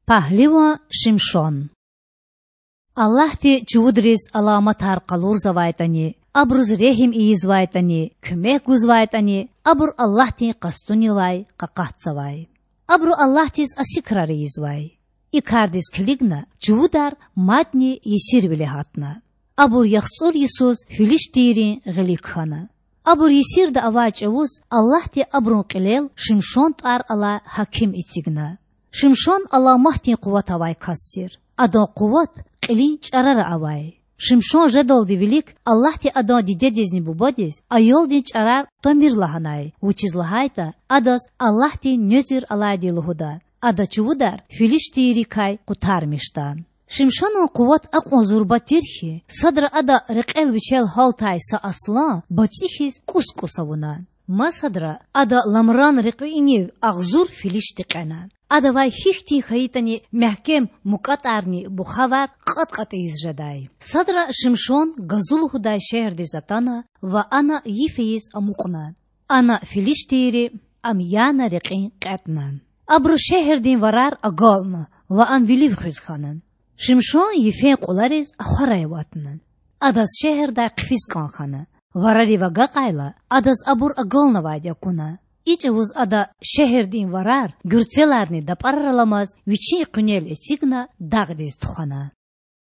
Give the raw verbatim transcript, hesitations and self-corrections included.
Пагьливан Шимшон. Аллагьди чувудриз аламатар къалурзавайтІани, абуруз регьим ийизвайтІани, куьмек гузвайтІани, абур Аллагьдин къастунилай къакъатзавай. Абуру Аллагьдиз ася крар ийизвай. И кардиз килигна чувудар мадни есирвиле гьатна. Абур яхцІур йисуз филиштийрин гъилик хьана. Абур есирда авай чІавуз Аллагьди абурун кьилел Шимшон тІвар алай гьаким эцигна. Шимшон аламатдин къуват авай кас тир. Адан къуват кьилин чІарара авай. Шимшон жедалди вилик Аллагьди адан дидедизни бубадиз аялдин чІарар тамир лагьанай, вучиз лагьайтІа адаз Аллагьдин нуьзуьр алайди лугьуда. Ада чувудар филиштийрикай къутармишда. Шимшонан къуват акьван зурба тир хьи, садра ада рекьел вичел гьалтай са аслан бацІи хьиз кІус-кІус авуна. Масадра ада ламран рекьуьнив агъзур филишти кьена. Адавай гьихьтин хьайитІани мягькем мукІатІарни бухавар кьатІ-кьатІ ийиз жедай. Садра Шимшон Газу лугьудай шегьердиз атана ва ана йиф ийиз амукьна. Ана филиштийри ам яна рекьин кьетІна. Абуру шегьердин варар агална ва ам вилив хуьз хьана. Шимшон йифен кьулариз ахварай аватна. Адаз шегьердай хъфиз кІан хьана. Варарив агакьайла, адаз абур агалнавайди акуна. И чІавуз ада шегьердин варар, гуьрцеларни дапІарар аламаз, вичин къуьнел эцигна дагъдиз тухвана.